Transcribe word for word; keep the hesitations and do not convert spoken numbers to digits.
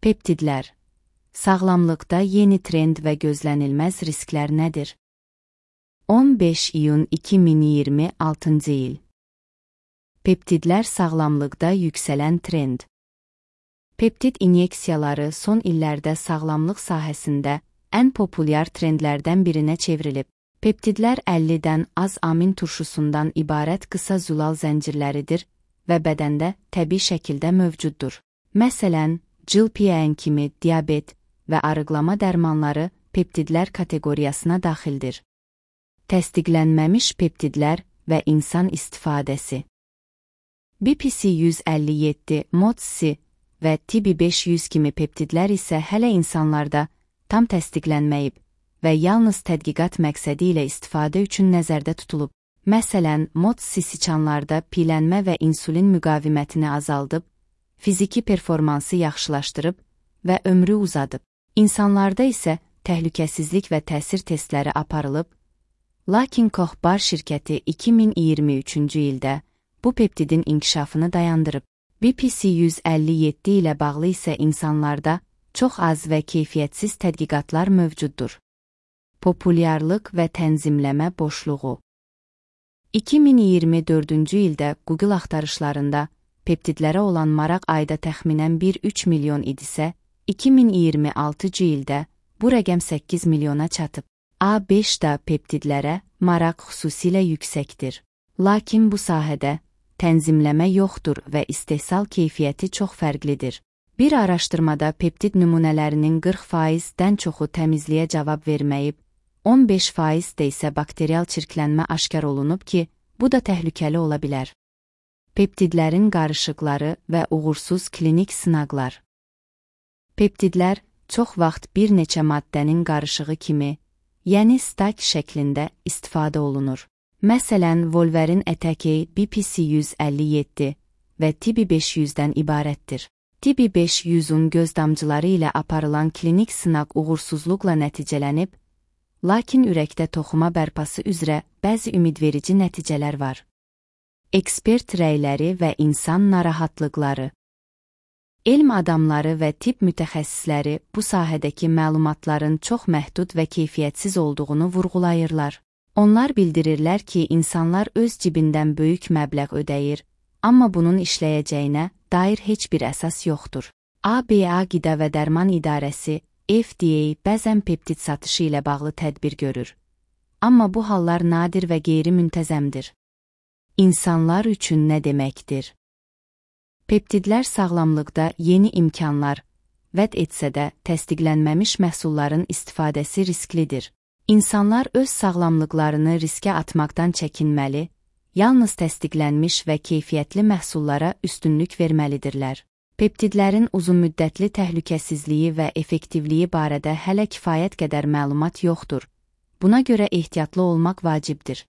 Peptidlər. Sağlamlıqda yeni trend və gözlənilməz risklər nədir? on beş iyun iki min iyirmi altıncı il. Peptidlər sağlamlıqda yüksələn trend. Peptid inyeksiyaları son illərdə sağlamlıq sahəsində ən populyar trendlərdən birinə çevrilib. Peptidlər əllidən az amin turşusundan ibarət qısa zülal zəncirləridir və bədəndə təbii şəkildə mövcuddur. Məsələn, G L P one kimi diabet və arıqlama dərmanları peptidlər kateqoriyasına daxildir. Təsdiqlənməmiş peptidlər və insan istifadəsi. B P C yüz əlli yeddi, M O D S və T B beş yüz kimi peptidlər isə hələ insanlarda tam təsdiqlənməyib və yalnız tədqiqat məqsədi ilə istifadə üçün nəzərdə tutulub. Məsələn, M O D S siçanlarda piyələnmə və insulin müqavimətini azaldıb, fiziki performansı yaxşılaşdırıb və ömrü uzadıb. İnsanlarda isə təhlükəsizlik və təsir testləri aparılıb, lakin Koch-Bar şirkəti iki min iyirmi üçüncü ildə bu peptidin inkişafını dayandırıb. B P C yüz əlli yeddi ilə bağlı isə insanlarda çox az və keyfiyyətsiz tədqiqatlar mövcuddur. Populyarlıq və tənzimləmə boşluğu. iki min iyirmi dördüncü ildə Google axtarışlarında peptidlərə olan maraq ayda təxminən bir nöqtə üç milyon idisə, iki min iyirmi altıncı ildə bu rəqəm səkkiz milyona çatıb. A beşdə peptidlərə maraq xüsusilə yüksəkdir. Lakin bu sahədə tənzimləmə yoxdur və istehsal keyfiyyəti çox fərqlidir. Bir araşdırmada peptid nümunələrinin qırx faizdən çoxu təmizliyə cavab verməyib, on beş faizdə isə bakterial çirklənmə aşkar olunub ki, bu da təhlükəli ola bilər. Peptidlərin qarışıqları və uğursuz klinik sınaqlar. Peptidlər çox vaxt bir neçə maddənin qarışığı kimi, yəni stak şəklində istifadə olunur. Məsələn, Volverin ətəkeyi B P C yüz əlli yeddi və T B beş yüzdən ibarətdir. T B beş yüzün göz damcıları ilə aparılan klinik sınaq uğursuzluqla nəticələnib, lakin ürəkdə toxuma bərpası üzrə bəzi ümidverici nəticələr var. Ekspert rəyləri və insan narahatlıqları. Elm adamları və tibb mütəxəssisləri bu sahədəki məlumatların çox məhdud və keyfiyyətsiz olduğunu vurğulayırlar. Onlar bildirirlər ki, insanlar öz cibindən böyük məbləğ ödəyir, amma bunun işləyəcəyinə dair heç bir əsas yoxdur. A B A Qida və Dərman İdarəsi, F D A bəzən peptid satışı ilə bağlı tədbir görür. Amma bu hallar nadir və qeyri-müntəzəmdir. İnsanlar üçün nə deməkdir? Peptidlər sağlamlıqda yeni imkanlar vəd etsə də təsdiqlənməmiş məhsulların istifadəsi risklidir. İnsanlar öz sağlamlıqlarını riskə atmaqdan çəkinməli, yalnız təsdiqlənmiş və keyfiyyətli məhsullara üstünlük verməlidirlər. Peptidlərin uzunmüddətli təhlükəsizliyi və effektivliyi barədə hələ kifayət qədər məlumat yoxdur. Buna görə ehtiyatlı olmaq vacibdir.